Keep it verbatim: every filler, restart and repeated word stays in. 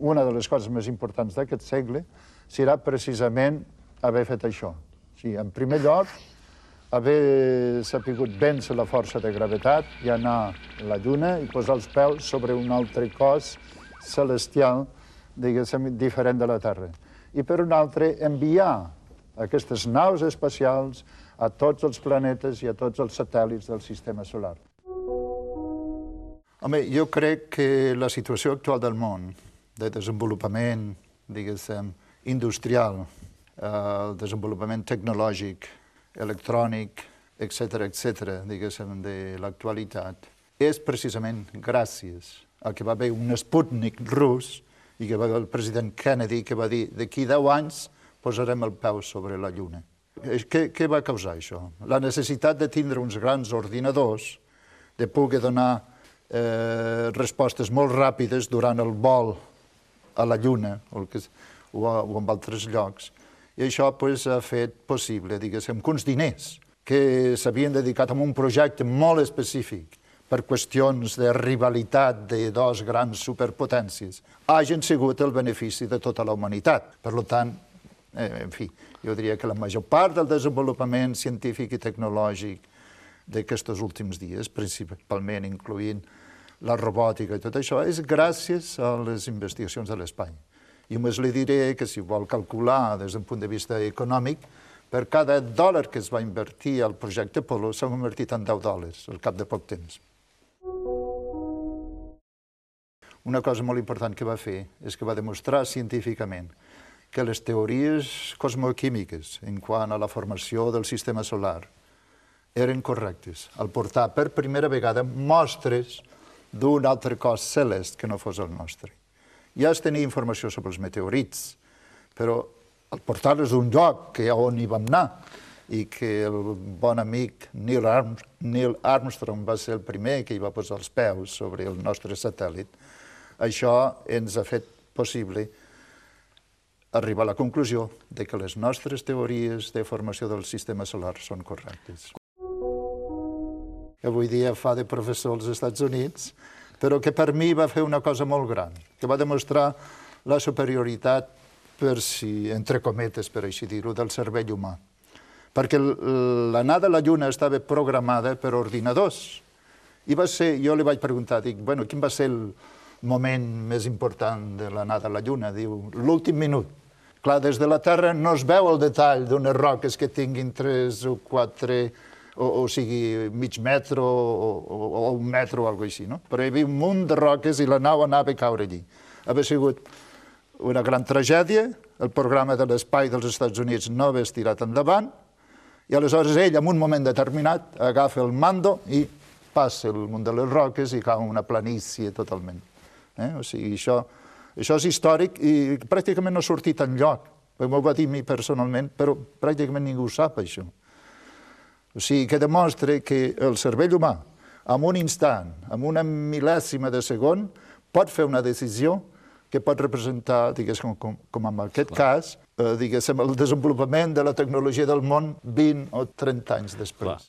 una de les coses més importants d'aquest segle serà precisament haver fet això. Sí, en primer lloc, haver sapigut vèncer la força de gravetat i anar a la Lluna i posar els peus sobre un altre cos celestial, diguéssim, diferent de la Terra. I per un altre, enviar aquestes naus espacials a tots els planetes i a tots els satèl·lits del sistema solar. Home, jo crec que la situació actual del món, de desenvolupament, diguéssim, industrial, el desenvolupament tecnològic, electrònic, etcètera, etcètera, diguéssim, de l'actualitat, és precisament gràcies a que va haver un Sputnik rus i que va haver el president Kennedy que va dir d'aquí deu anys posarem el peu sobre la Lluna. Què, què va causar això? La necessitat de tindre uns grans ordinadors, de poder donar eh, respostes molt ràpides durant el vol a la Lluna o, que, o, a, o en altres llocs. I això pues, ha fet possible, diguéssim, que uns diners que s'havien dedicat a un projecte molt específic per qüestions de rivalitat de dos grans superpotències, hagin sigut el benefici de tota la humanitat. Per tant, eh, en fi, jo diria que la major part del desenvolupament científic i tecnològic d'aquests últims dies, principalment incloent la robòtica i tot això, és gràcies a les investigacions de l'espai. I només li diré que si vol calcular des d'un punt de vista econòmic, per cada dòlar que es va invertir al projecte Apollo s'ha convertit en deu dòlars al cap de poc temps. Una cosa molt important que va fer és que va demostrar científicament que les teories cosmoquímiques en quant a la formació del sistema solar eren correctes al portar per primera vegada mostres d'un altre cos celest que no fos el nostre. Ja es tenia informació sobre els meteorits, però al portar-los d'un lloc que on hi vam anar i que el bon amic Neil Armstrong va ser el primer que hi va posar els peus sobre el nostre satèl·lit, això ens ha fet possible arribar a la conclusió de que les nostres teories de formació del sistema solar són correctes. Avui dia fa de professor als Estats Units, però que per mi va fer una cosa molt gran, que va demostrar la superioritat, per si, entre cometes, per així dir-ho, del cervell humà. Perquè l'anada a la Lluna estava programada per ordinadors. I va ser, jo li vaig preguntar, dic, bueno, quin va ser el moment més important de l'anada a la Lluna? Diu, l'últim minut. Clar, des de la Terra no es veu el detall d'unes roques que tinguin tres o quatre, o, o sigui, mig metre o, o, o un metre o alguna cosa així, no? Però hi havia un munt de roques i la nau anava a caure allí. Havia sigut una gran tragèdia, el programa de l'espai dels Estats Units no havia estirat endavant, i aleshores ell, en un moment determinat, agafa el mando i passa el munt de les roques i cau una planícia totalment. Eh? O sigui, això, això és històric i pràcticament no ha sortit enlloc. M'ho va dir a mi personalment, però pràcticament ningú sap això. O sigui, que demostra que el cervell humà, en un instant, en una mil·lèsima de segon, pot fer una decisió que pot representar, diguéssim, com, com en aquest cas, eh, diguéssim, el desenvolupament de la tecnologia del món vint o trenta anys després. Clar.